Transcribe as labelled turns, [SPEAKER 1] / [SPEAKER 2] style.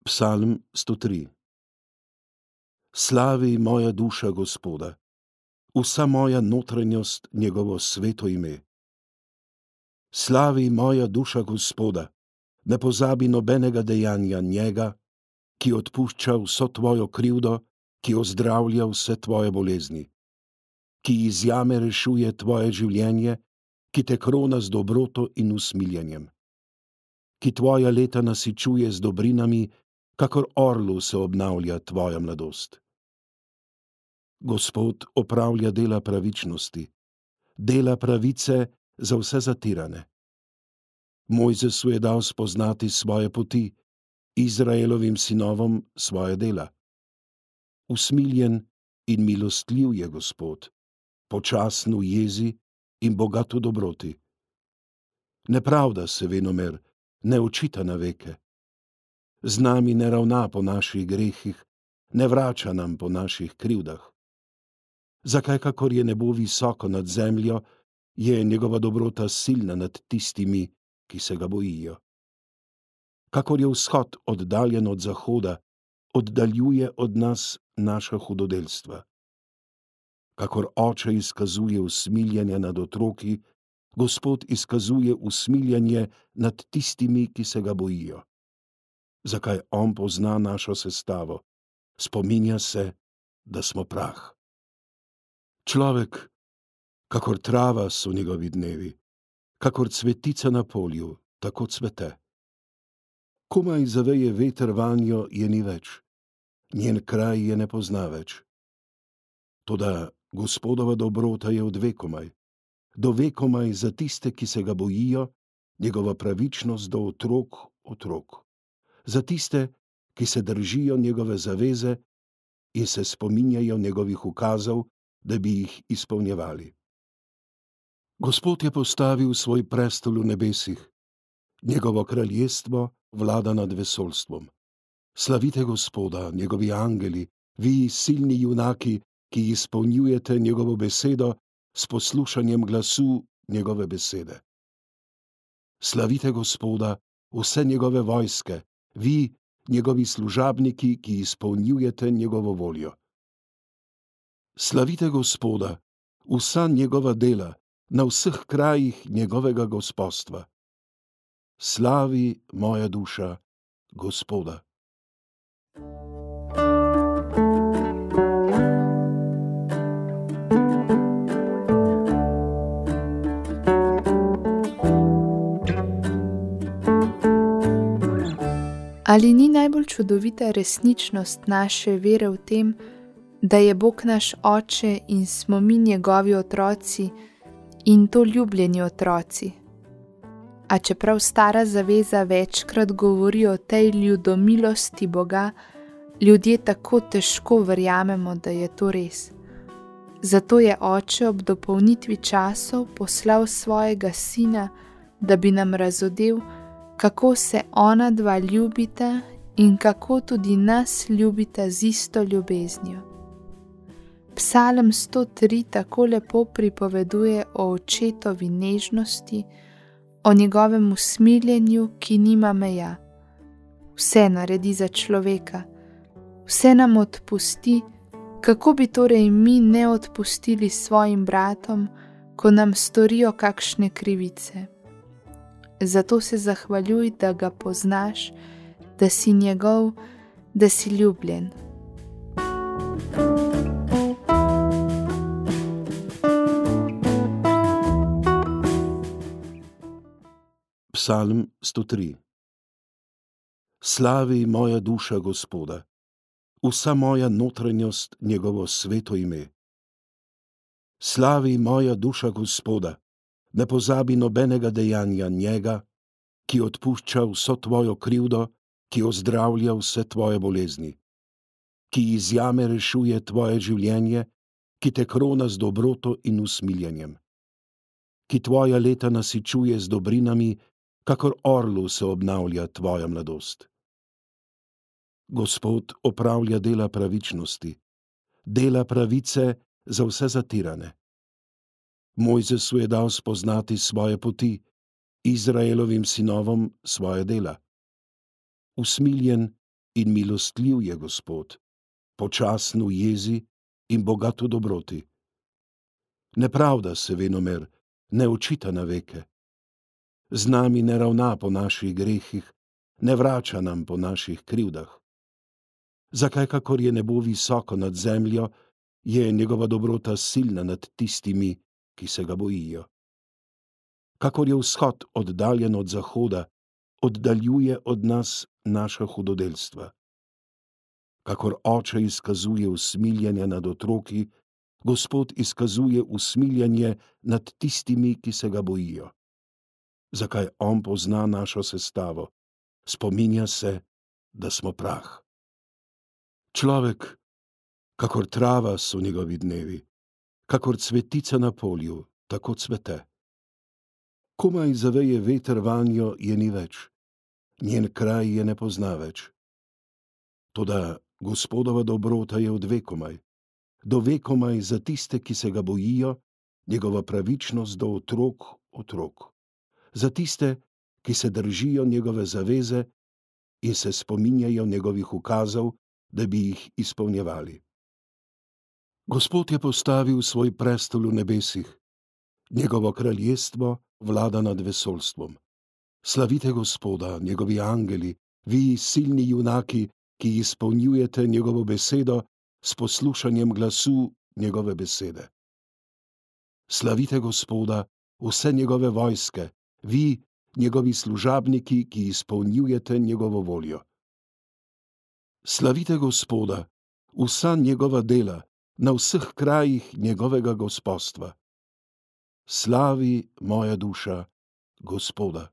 [SPEAKER 1] Psalm 103. Slavi moja duša Gospoda, vsa moja notranjost njegovo sveto ime. Slavi moja duša Gospoda, ne pozabi nobenega dejanja njega, ki odpušča vso tvojo krivdo, ki ozdravlja vse tvoje bolezni, ki iz jame rešuje tvoje življenje, ki te krona z dobroto in usmiljenjem, ki tvoja leta nasičuje z dobrinami, kakor orlu se obnavlja tvoja mladost. Gospod opravlja dela pravičnosti, dela pravice za vse zatirane. Mojzesu je dal spoznati svoje poti, Izraelovim sinovom svoje dela. Usmiljen in milostljiv je Gospod, počasen v jezi in bogat v dobroti. Ne pravda se venomer, ne očita na veke. Z nami ne ravna po naših grehih, ne vrača nam po naših krivdah. Zakaj, kakor je nebo visoko nad zemljo, je njegova dobrota silna nad tistimi, ki se ga bojijo. Kakor je vzhod oddaljen od zahoda, oddaljuje od nas naša hudodelstva. Kakor oče izkazuje usmiljenje nad otroki, Gospod izkazuje usmiljenje nad tistimi, ki se ga bojijo. Zakaj on pozna našo sestavo, spominja se, da smo prah. Človek, kakor trava so njegovi dnevi, kakor cvetica na polju, tako cvete. Komaj zaveje veter vanjo, je ni več, njen kraj je ne pozna več. Toda Gospodova dobrota je od vekomaj, do vekomaj za tiste, ki se ga bojijo, njegova pravičnost do otrok, za tiste, ki se držijo njegove zaveze in se spominjajo njegovih ukazov, da bi jih izpolnjevali. Gospod je postavil svoj prestol v nebesih, njegovo kraljestvo vlada nad vesoljstvom. Slavite Gospoda, njegovi angeli, vi silni junaki, ki izpolnjujete njegovo besedo s poslušanjem glasu njegove besede. Slavite Gospoda, vse njegove vojske, vi, njegovi služabniki, ki izpolnjujete njegovo voljo. Slavite Gospoda, vsa njegova dela, na vseh krajih njegovega gospostva. Slavi moja duša Gospoda.
[SPEAKER 2] Ali ni najbolj čudovita resničnost naše vere v tem, da je Bog naš Oče in smo mi njegovi otroci in to ljubljeni otroci? A čeprav Stara zaveza večkrat govori o tej ljudomilosti Boga, ljudje tako težko verjamemo, da je to res. Zato je Oče ob dopolnitvi časov poslal svojega Sina, da bi nam razodel, kako se ona dva ljubita in kako tudi nas ljubita z isto ljubeznijo. Psalm 103 tako lepo pripoveduje o očetovi nežnosti, o njegovem usmiljenju, ki nima meja. Vse naredi za človeka, vse nam odpusti, kako bi torej mi ne odpustili svojim bratom, ko nam storijo kakšne krivice. Zato se zahvaljuj, da ga poznaš, da si njegov, da si ljubljen.
[SPEAKER 1] Psalm 103. Slavi moja duša Gospoda, vsa moja notranjost njegovo sveto ime. Slavi moja duša Gospoda, ne pozabi nobenega dejanja njega, ki odpušča vso tvojo krivdo, ki ozdravlja vse tvoje bolezni, ki iz jame rešuje tvoje življenje, ki te krona z dobroto in usmiljenjem, ki tvoja leta nasičuje z dobrinami, kakor orlu se obnavlja tvoja mladost. Gospod opravlja dela pravičnosti, dela pravice za vse zatirane. Mojzesu je dal spoznati svoje poti, Izraelovim sinovom svoje dela. Usmiljen in milostljiv je Gospod, počasen v jezi in bogat v dobroti. Nepravda se venomer ne očita na veke. Z nami ne ravna po naših grehih, ne vrača nam po naših krivdah. Zakaj, kakor je nebo visoko nad zemljo, je njegova dobrota silna nad tistimi, ki se ga bojijo. Kakor je vzhod oddaljen od zahoda, oddaljuje od nas naša hudodelstva. Kakor oče izkazuje usmiljenje nad otroki, Gospod izkazuje usmiljenje nad tistimi, ki se ga bojijo. Zakaj on pozna našo sestavo, spominja se, da smo prah. Človek, kakor trava so njegovi dnevi, kakor cvetica na polju, tako cvete. Komaj zaveje veter vanjo, je ni več, njen kraj je ne pozna več. Toda Gospodova dobrota je od vekomaj, do vekomaj za tiste, ki se ga bojijo, njegova pravičnost do otrok, za tiste, ki se držijo njegove zaveze in se spominjajo njegovih ukazov, da bi jih izpolnjevali. Gospod je postavil svoj prestol v nebesih, njegovo kraljestvo vlada nad vesoljstvom. Slavite Gospoda, njegovi angeli, vi silni junaki, ki izpolnjujete njegovo besedo s poslušanjem glasu njegove besede. Slavite Gospoda, vse njegove vojske, vi, njegovi služabniki, ki izpolnjujete njegovo voljo. Slavite Gospoda, vsa njegova dela, na vseh krajih njegovega gospodstva. Slavi moja duša Gospoda.